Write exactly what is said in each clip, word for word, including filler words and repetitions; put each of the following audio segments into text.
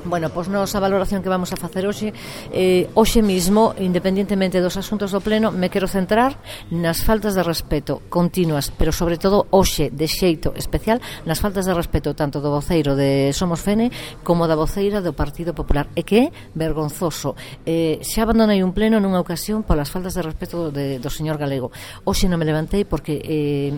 Bueno, pois nos a valoración que vamos a facer hoxe eh, hoxe mismo, independentemente dos asuntos do pleno, me quero centrar nas faltas de respeto continuas, pero sobre todo hoxe de xeito especial nas faltas de respeto tanto do voceiro de Somos Fene como da voceira do Partido Popular, e que é vergonzoso. eh, xa abandonei un pleno nunha ocasión polas faltas de respeto de, do señor Galego. Hoxe non me levantei porque eh,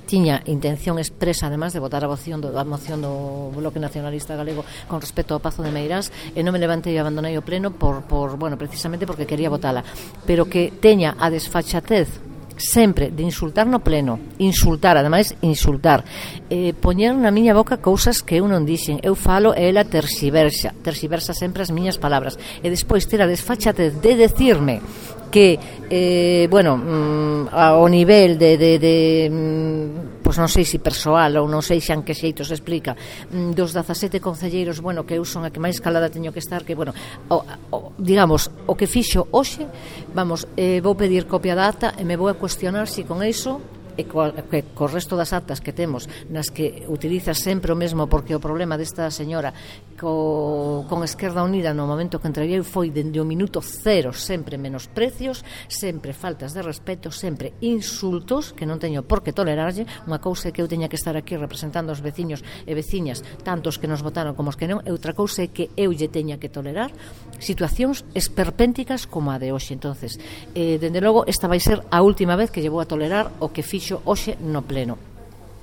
tiña intención expresa, además, de votar a moción do, a moción do Bloque Nacionalista Galego con respecto ao Pazo de Meirás, e non me levantei e abandonei o pleno por, por, bueno, precisamente porque quería votala, pero que teña a desfachatez sempre de insultar no pleno, insultar, ademais insultar, eh, poñer na miña boca cousas que eu non dixen, eu falo e ela terxiversa terxiversa sempre as miñas palabras, e despois ter a desfachatez de decirme que, eh, bueno, mm, ao nivel de, de, de mm, pois non sei se persoal ou non sei xa en que xeito se explica, mm, dos dezasete concelleiros, bueno, que eu son a que máis calada teño que estar, que, bueno, o, o, digamos, o que fixo hoxe, vamos, eh, vou pedir copia da ata e me vou a cuestionar se si con iso e co, que, co resto das actas que temos nas que utiliza sempre o mesmo, porque o problema desta señora co, con Esquerda Unida no momento que entreguei foi dende o minuto cero sempre menosprecios, sempre faltas de respeto, sempre insultos que non teño por que tolerarlle. Unha cousa é que eu teña que estar aquí representando os veciños e veciñas, tantos que nos votaron como os que non, e outra cousa é que eu lle teña que tolerar situacións esperpénticas como a de hoxe. Entonces, eh, dende logo, esta vai ser a última vez que lle vou a tolerar o que fixo hoxe no pleno.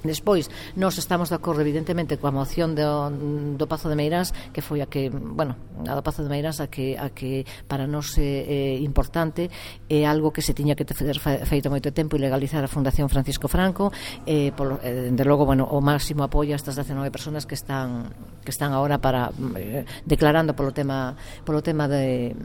Despois, nós estamos de acordo evidentemente coa moción do, do Pazo de Meirás, que foi a que, bueno, a do Pazo de Meirás a que, a que para nós é, é importante, é algo que se tiña que ter feito moito tempo, e legalizar a Fundación Francisco Franco, eh, por, eh, de logo, bueno, o máximo apoio a estas dezenove persoas que están que están agora para eh, declarando polo tema polo tema de,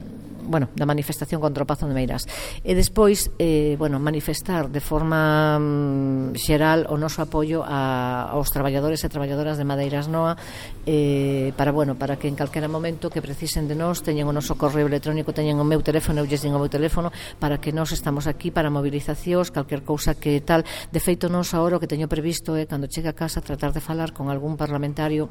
bueno, da manifestación contra o Pazo de Meirás. E despois, eh, bueno, manifestar de forma mm, xeral o noso apoio A, aos traballadores e traballadoras de Madeiras Noa, eh, para, bueno, para que en calquera momento que precisen de nós teñen o noso correo electrónico, teñen o meu teléfono, eu lles din o meu teléfono, para que nós estamos aquí para movilizacións, calquer cousa que tal. De feito, nós agora o que teño previsto é, cando chegue a casa, tratar de falar con algún parlamentario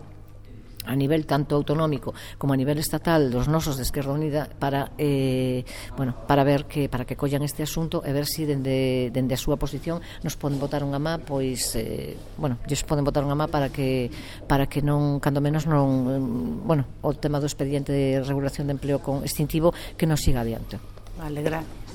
a nivel tanto autonómico como a nivel estatal dos nosos de Esquerda Unida para eh, bueno, para ver que para que collan este asunto e ver se si dende, dende a súa posición nos poden botar unha má, pois eh, bueno, lles poden botar unha má para que para que non, cando menos non, bueno, o tema do expediente de regulación de empleo con extintivo que non siga adiante. Vale, gracias.